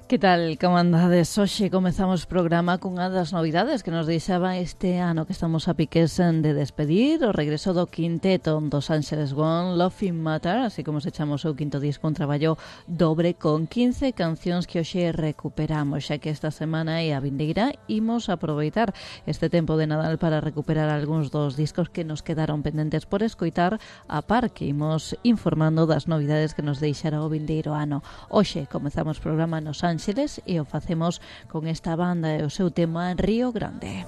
Que tal, como andades? Hoxe comezamos o programa cunha das novidades que nos deixaba este ano que estamos a piques de despedir, o regreso do quinteto dos Ángeles One, Laughing Matter, así como se chama o seu quinto disco, un traballo dobre con 15 cancións que hoxe recuperamos, xa que esta semana e a vindeira imos aproveitar este tempo de Nadal para recuperar algúns dos discos que nos quedaron pendentes por escoitar, a par que imos informando das novidades que nos deixará o vindeiro ano. Hoxe comezamos o programa nos Ángeles e o facemos con esta banda e o seu tema Río Grande.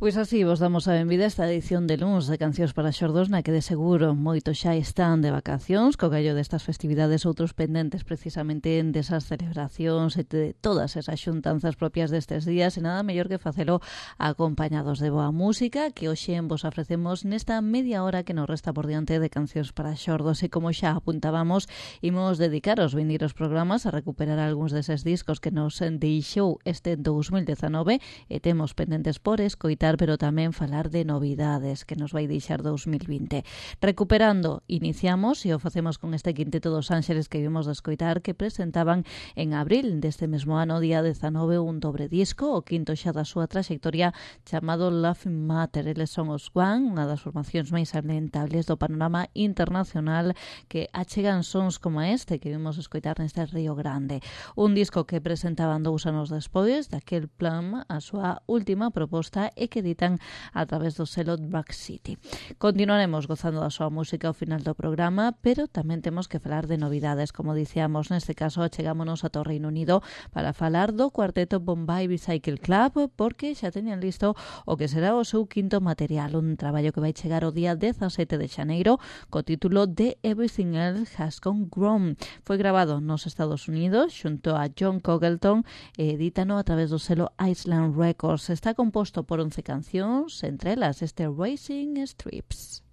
Pois así vos damos a benvida a esta edición de luns de Cancións para Xordos, na que de seguro moitos xa están de vacacións, co gallo destas festividades, outros pendentes precisamente desas celebracións e de todas esas xuntanzas propias destes días, e nada mellor que facelo acompañados de boa música, que hoxe vos ofrecemos nesta media hora que nos resta por diante de Cancións para Xordos, e como xa apuntábamos, imos dedicar os vindeiros programas a recuperar algúns deses discos que nos deixou este 2019 e temos pendentes por escoitar, pero tamén falar de novidades que nos vai deixar 2020. Recuperando, iniciamos e o facemos con este quinteto dos Ángeles que vimos de escoitar, que presentaban en abril deste mesmo ano, día 19, un dobre disco, o quinto xa da súa traxectoria, chamado Laughing Matter. Eles son os One, unha das formacións máis salientables do panorama internacional, que achegan sons como este que vimos escoitar neste Río Grande. Un disco que presentaban 2 anos despois daquel plan, a súa última proposta, e que editan a través do selo Drag City. Continuaremos gozando da súa música ao final do programa, pero tamén temos que falar de novidades. Como dicíamos, neste caso chegámonos a Reino Unido para falar do cuarteto Bombay Bicycle Club, porque xa teñan listo o que será o seu quinto material, un traballo que vai chegar o día 17 de xaneiro co título de Everything Else Has Gone Wrong. Foi grabado nos Estados Unidos xunto a John Congleton e edítano a través do selo Island Records. Está composto por 11 cancións, entre elas este Racing Strips.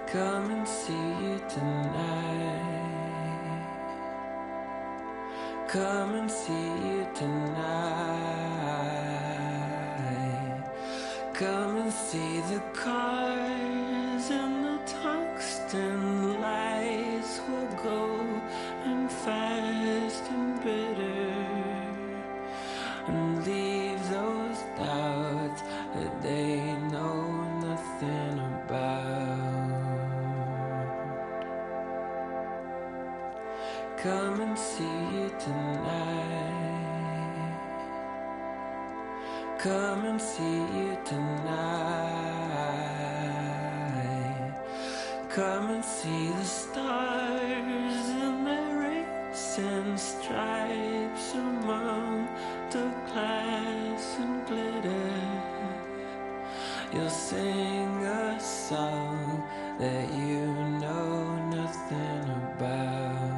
Come and see you tonight. Come and see you tonight. Come and see the cars and the tungsten lights will go and fast and bitter, and leave those doubts that they know come and see you tonight. Come and see you tonight. Come and see the stars in their racing stripes among the glass and glitter. You'll sing a song that you know nothing about.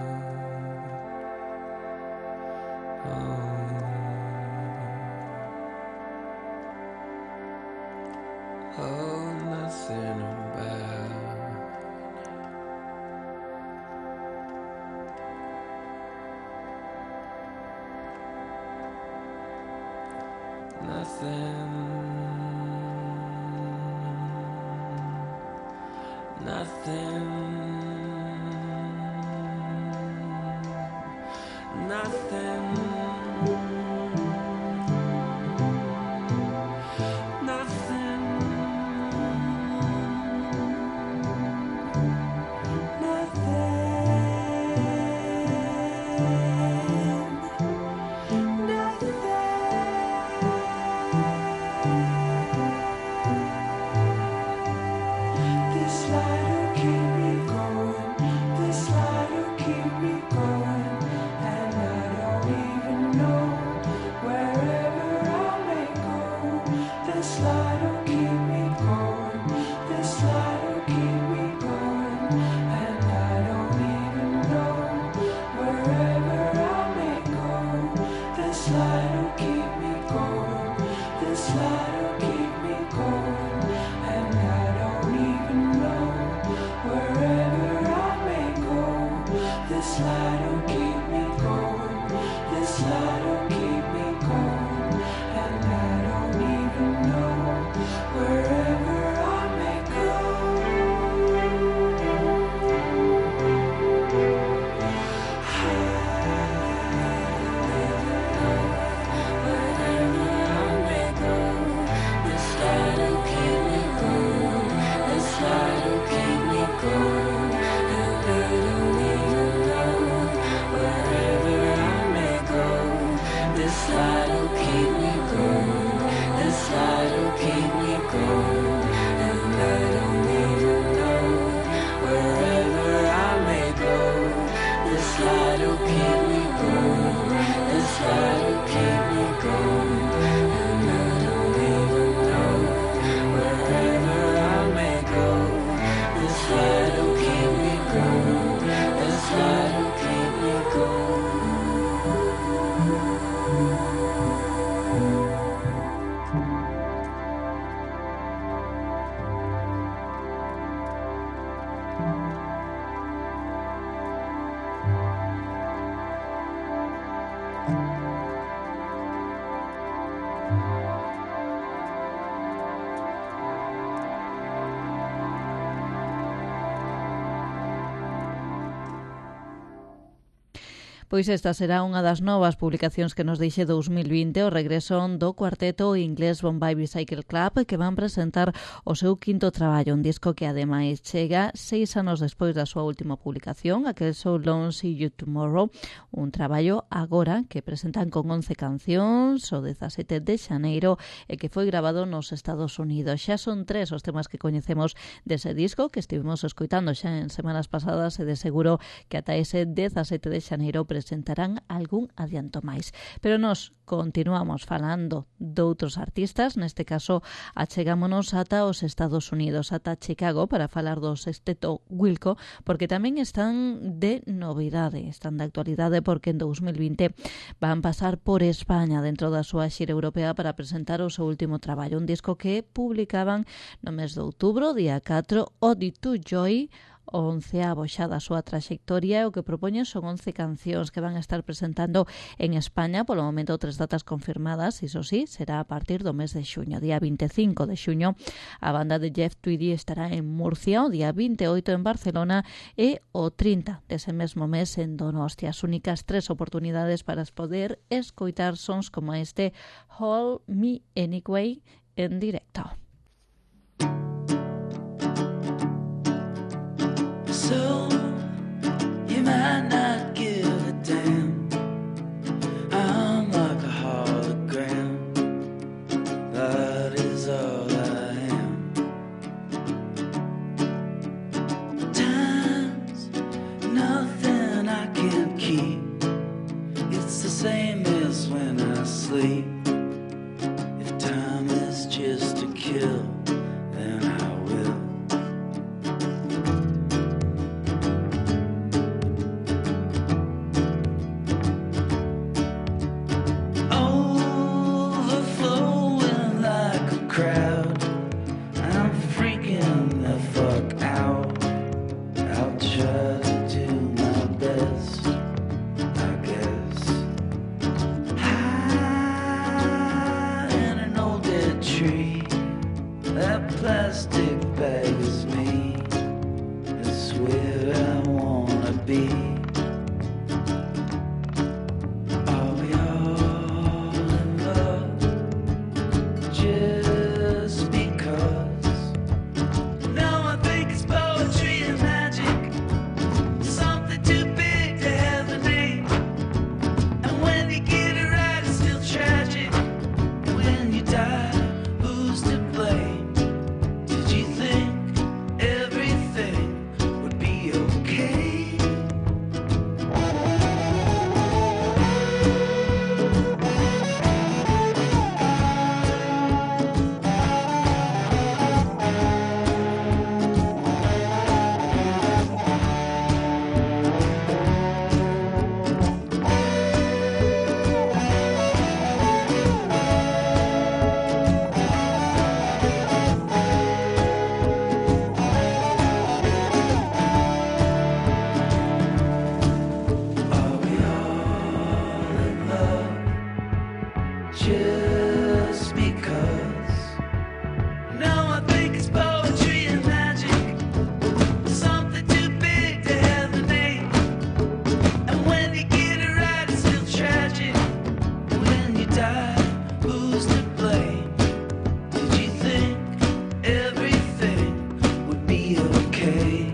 Oh, nothing about. Nothing. Nothing. Nothing. Pois esta será unha das novas publicacións que nos deixe 2020, o regreso do cuarteto inglés Bombay Bicycle Club, que van presentar o seu quinto traballo, un disco que ademais chega 6 anos despois da súa última publicación, aquel So Long See You Tomorrow, un traballo agora que presentan con 11 cancións o 17 de xaneiro e que foi grabado nos Estados Unidos. Xa son 3 os temas que coñecemos dese disco que estivemos escoitando xa en semanas pasadas e de seguro que ata ese 17 de xaneiro presentarán algún adianto máis. Pero nós continuamos falando doutros artistas, neste caso achegámonos ata os Estados Unidos, ata Chicago, para falar do sexteto Wilco, porque tamén están de novidade, están de actualidade, porque en 2020 van pasar por España dentro da súa xira europea para presentar o seu último traballo, un disco que publicaban no mes de outubro, día 4, Ode to Joy, o 11avo xa da súa traxectoria. O que propoñen son 11 cancións que van a estar presentando en España, polo momento 3 datas confirmadas, iso sí, será a partir do mes de xuño. Día 25 de xuño a banda de Jeff Tweedy estará en Murcia, o día 28 en Barcelona e o 30 dese mesmo mes en Donostia. As únicas 3 oportunidades para poder escoitar sons como este Hold Me Anyway en directo. So, you might not give be okay.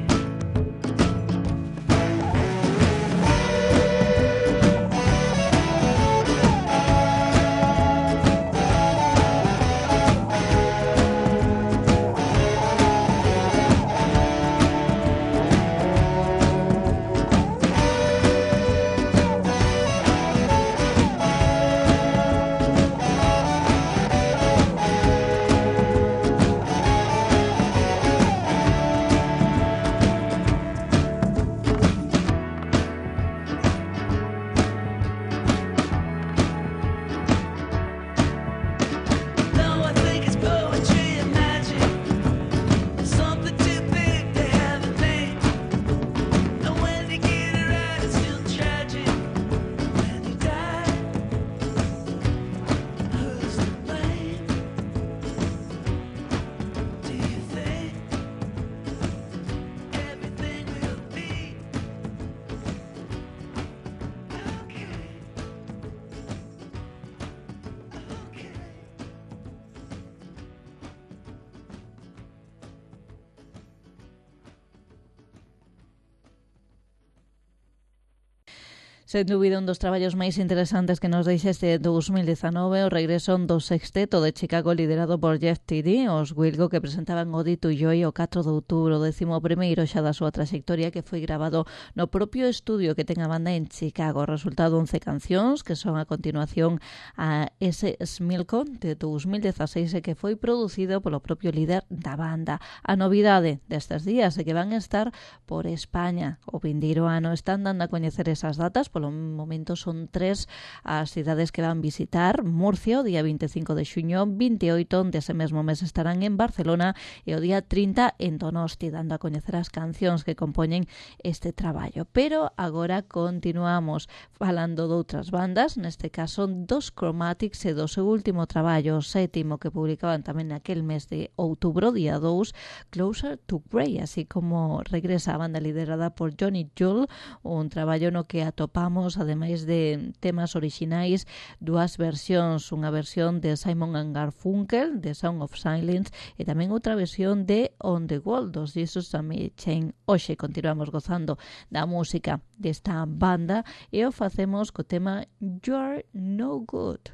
Sen dúbida, un dos traballos máis interesantes que nos deixa este 2019 o regreso do sexteto de Chicago liderado por Jeff Tweedy, os Wilco, que presentaban o Dito Joy o 4 de outubro, o 11º xa da súa trayectoria, que foi grabado no propio estudio que ten a banda en Chicago. Resultado 11 cancións que son a continuación a ese Smilko de 2016 e que foi producido polo propio líder da banda. A novidade destes días é que van estar por España. O vindeiro ano están dando a coñecer esas datas. Polo momento son 3 as cidades que van visitar: Murcia o día 25 de xuño, 28 dese mesmo mes estarán en Barcelona e o día 30 en Donosti, dando a coñecer as cancións que compoñen este traballo. Pero agora continuamos falando de outras bandas, neste caso dos Chromatics e do seu último traballo, o 7º, que publicaban tamén naquel mes de outubro, día 2, Closer to Grey, así como regresa a banda liderada por Johnny Jewel, un traballo no que atopamos, ademais de temas orixinais, dúas versións, unha versión de Simon & Garfunkel, de Sound of Silence, e tamén outra versión de On the Wall, dos Jesus and Me Chain. Hoxe continuamos gozando da música desta banda e o facemos co tema You're No Good.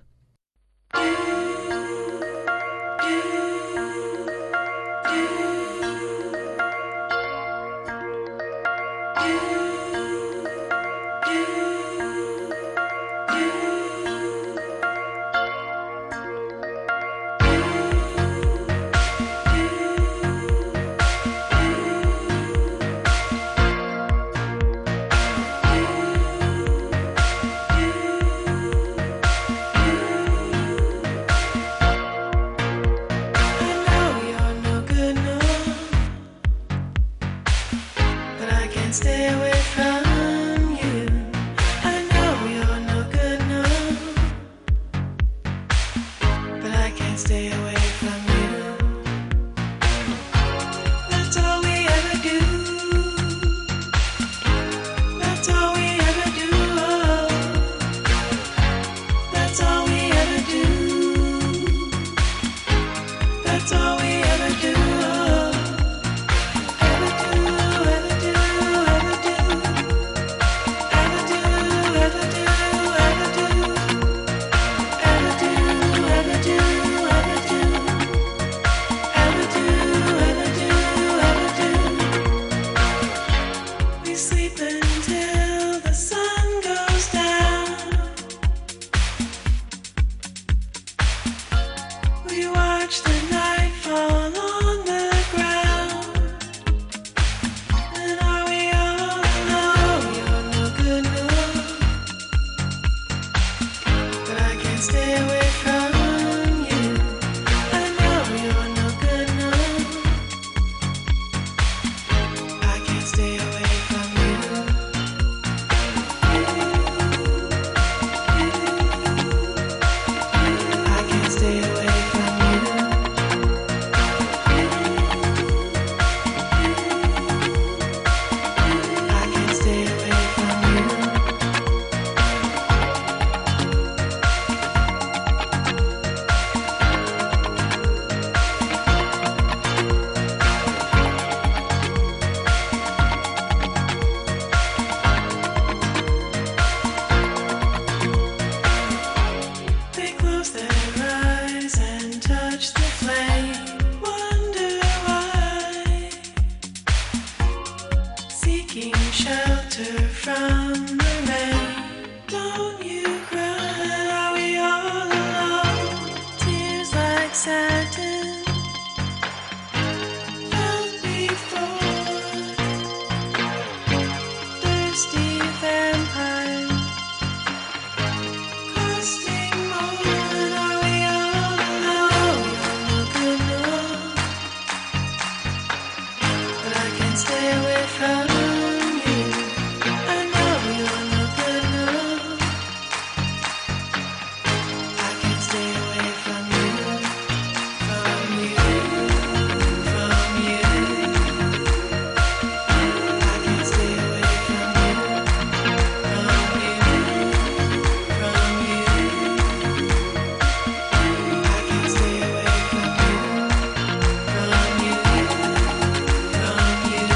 Ever do seeking shelter from the rain. Don't you cry, are we all alone? Tears like satin felt before. Thirsty vampire costing more. And are we all alone? I'm not good enough, but I can't stay away from you. I know you're not good enough. I can't stay away from you, from you, from you. I can't stay away from you, from you, from you. I can't stay away from you, from you, from you.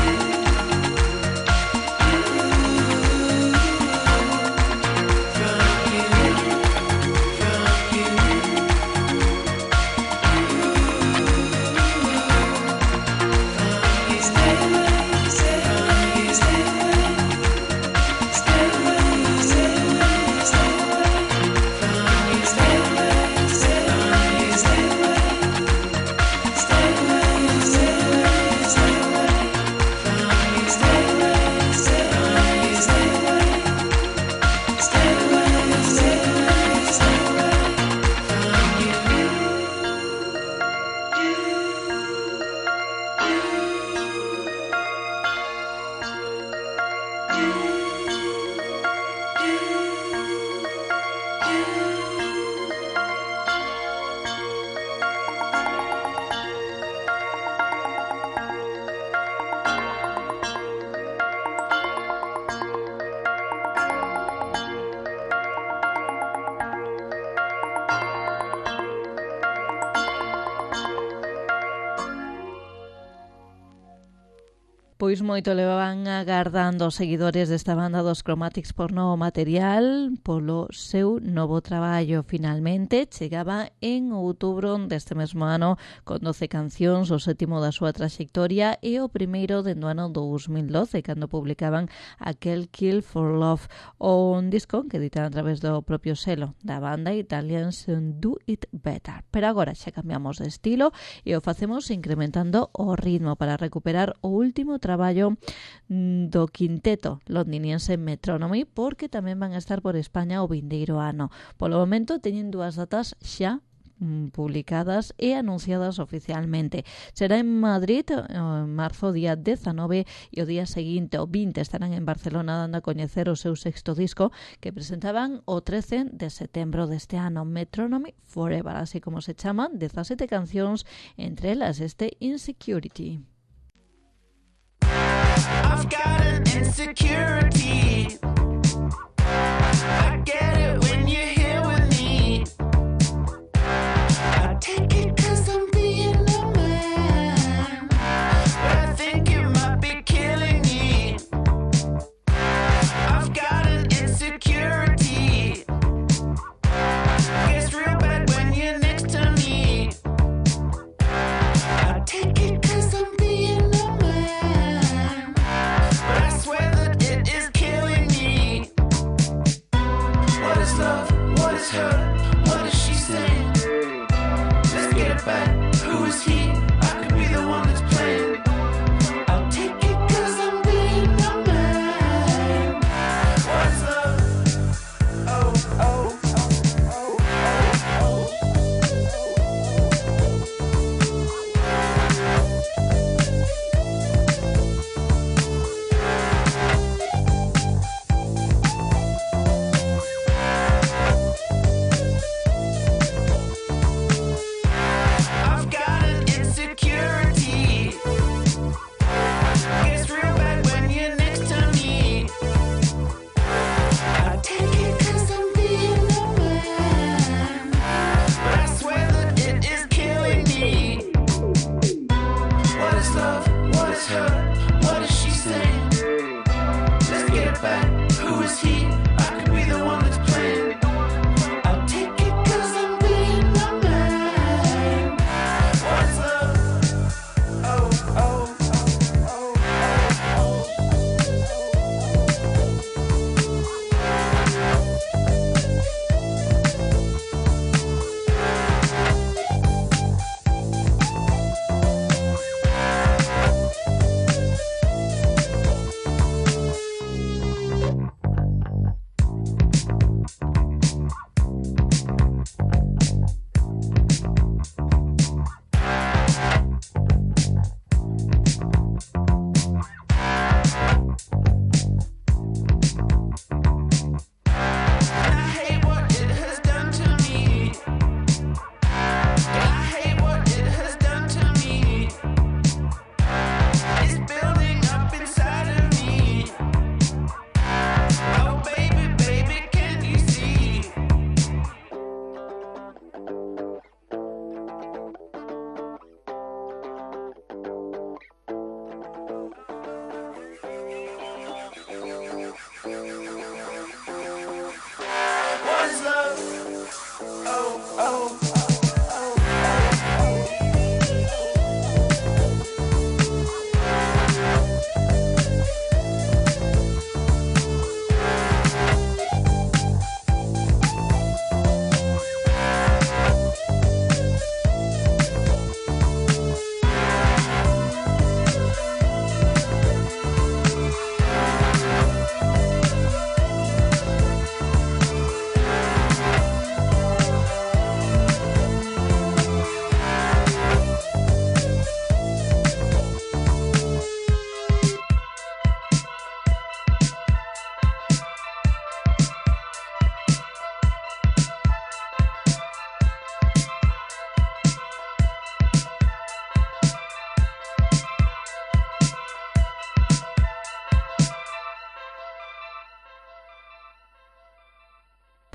Pois moito levaban agardando os seguidores desta banda dos Chromatics por novo material polo seu novo traballo. Finalmente chegaba en outubro deste mesmo ano con 12 cancións, o sétimo da súa traxectoria e o primeiro dende o ano 2012 cando publicaban aquel Kill for Love, un disco que editan a través do propio selo da banda Italians Do It Better. Pero agora xa cambiamos de estilo e o facemos incrementando o ritmo para recuperar o último traballo do quinteto londiniense Metronomy, porque tamén van a estar por España o vindeiro ano. Polo momento teñen dúas datas xa publicadas e anunciadas oficialmente. Será en Madrid en marzo día 19 e o día seguinte, o 20, estarán en Barcelona dando a coñecer o seu sexto disco que presentaban o 13 de setembro deste ano, Metronomy Forever, así como se chaman, 17 cancións, entre elas este Insecurity. I've got an insecurity. I get it when you're here with me. I take it 'cause I'm being a man, but I think it might be killing me. I've got an insecurity. Gets real bad when you're next to me. I take it 'cause I'm being a man, but I swear that it is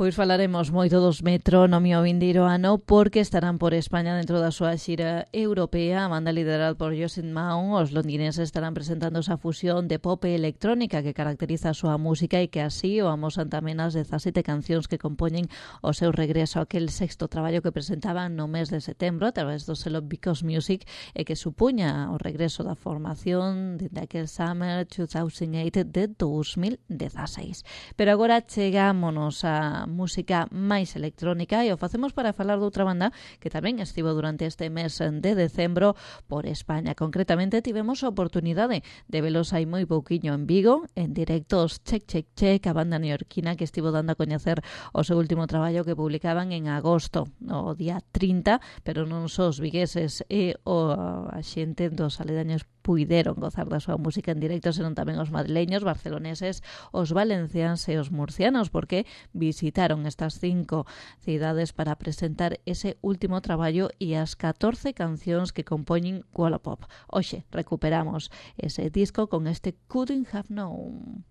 Pois falaremos moito dos Metrónomi o vindeiro ano porque estarán por España dentro da súa xira europea. A banda liderada por Joseph Maun, os londineses estarán presentando esa fusión de pop e electrónica que caracteriza a súa música e que así o amosan tamén as 17 cancións que compoñen o seu regreso a aquel sexto traballo que presentaban no mes de setembro a través do selo Because Music e que supuña o regreso da formación de aquel Summer 2008 de 2016. Pero agora chegámonos a música máis electrónica e o facemos para falar de outra banda que tamén estivo durante este mes de decembro por España. Concretamente tivemos a oportunidade de velos hai moi pouquiño en Vigo, en directos Check Check Check, a banda neoyorquina que estivo dando a coñecer o seu último traballo que publicaban en agosto, o día 30, pero non só os vigueses e a xente dos aledaños puideron gozar da súa música en directo, senón tamén os madrileños, barceloneses, os valencians e os murcianos, porque visitaron estas 5 cidades para presentar ese último traballo e as 14 cancións que compoñen Wallapop. Hoxe recuperamos ese disco con este Couldn't Have Known.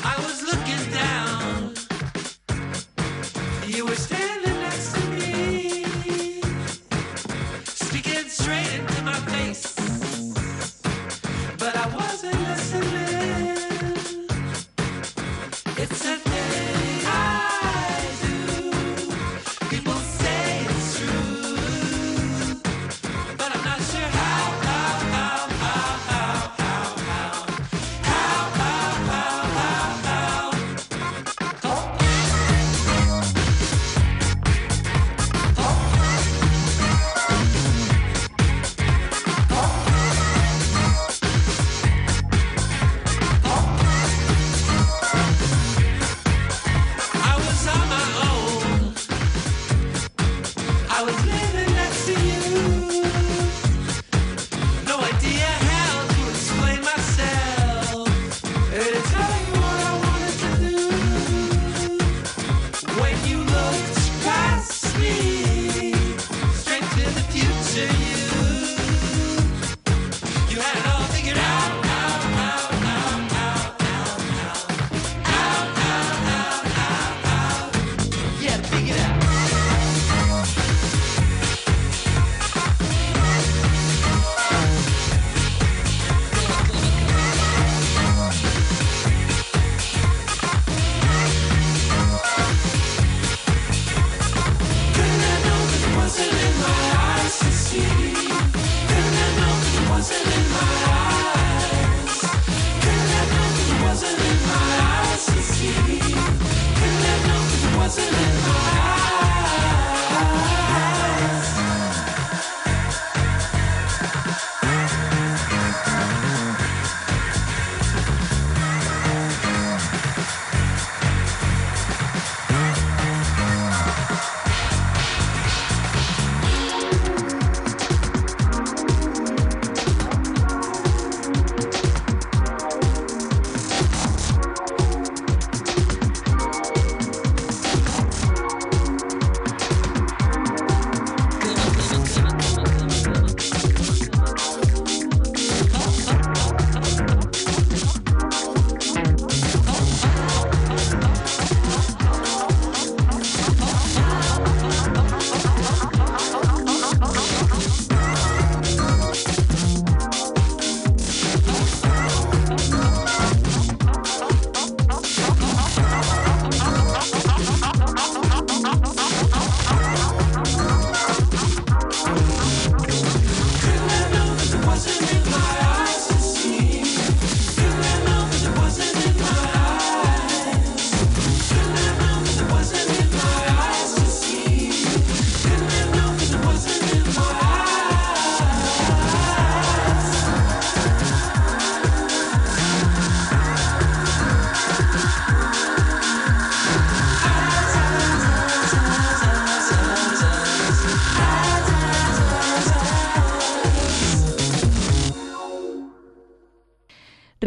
I was looking down. You were standing next to me, speaking straight into my face, but I wasn't listening. It's a thing I do. People say it's true, but I'm not sure how. I was on my own. I was living next to you. No idea how to explain myself or to tell you what I wanted to do. When you looked past me, straight to the future, you had it all figured out. Yeah, figured out.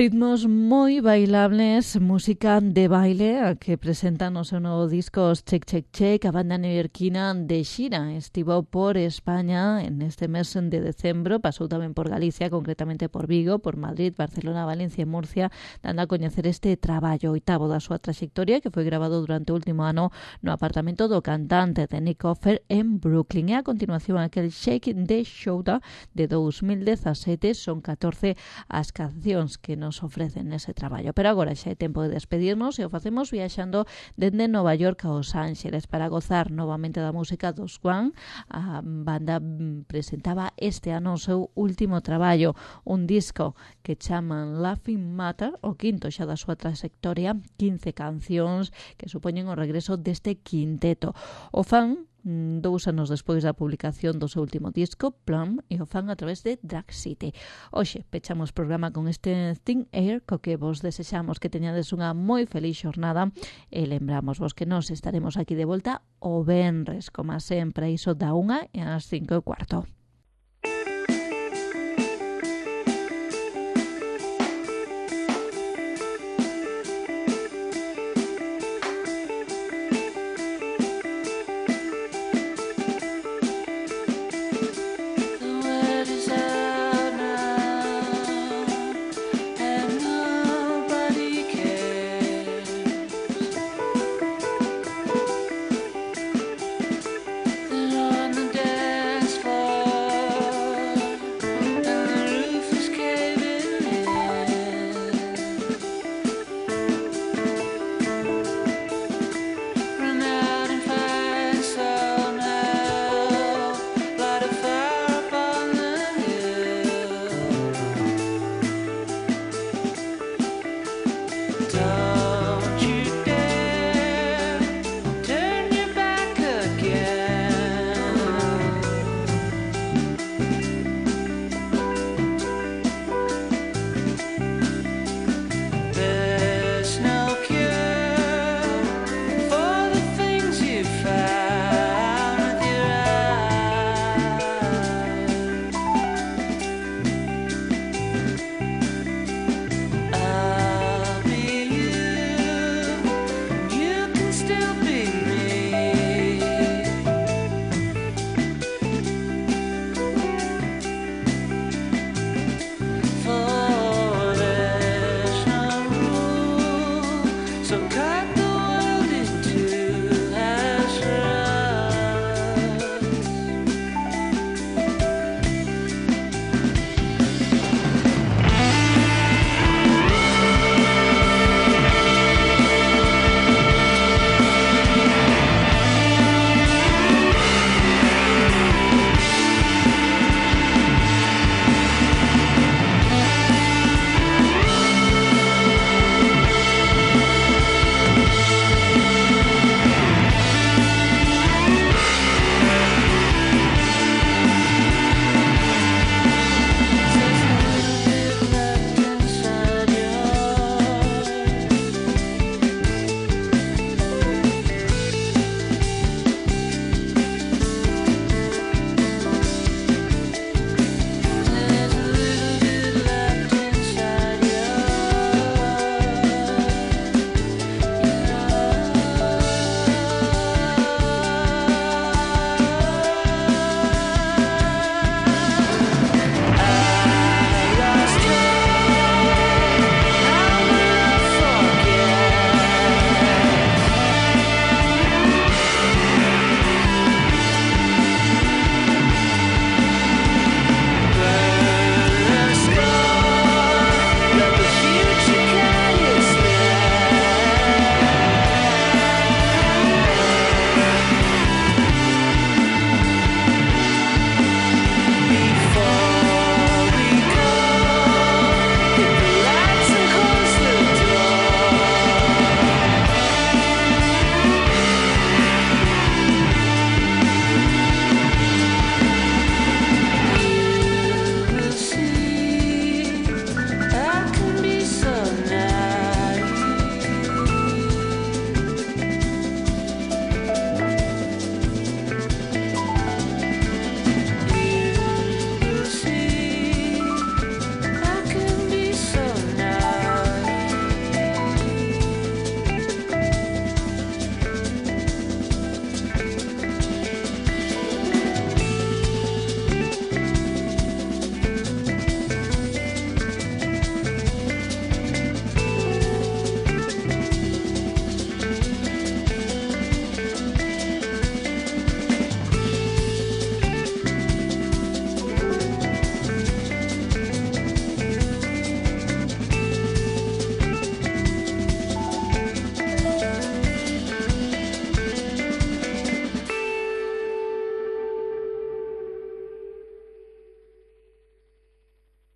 ritmos moi bailables, música de baile, a que presentan o seu novo disco Check Check Check. A banda neoyorquina de xira estivo por España en este mes de decembro, pasou tamén por Galicia, concretamente por Vigo, por Madrid, Barcelona, Valencia e Murcia, dando a coñecer este traballo oitavo da súa traxectoria, que foi grabado durante o último ano no apartamento do cantante de Nick Offer en Brooklyn. E a continuación aquel Shake the Shoulder de 2017, son 14 as cancións que nos ofrecen nese traballo. Pero agora xa é tempo de despedirnos e o facemos viaxando dende Nova York a Los Ángeles para gozar novamente da música dos One. A banda presentaba este ano o seu último traballo, un disco que chaman Laughing Matter, o quinto xa da súa trayectoria, 15 cancións que supoñen o regreso deste quinteto. O fan 2 anos despois da publicación do seu último disco, Plum, e o fan a través de Drag City. Hoxe pechamos programa con este Thin Air, co que vos desexamos que teñades unha moi feliz xornada e lembramos vos que nos estaremos aquí de volta o venres, como sempre, iso da 1 e ás 5:15.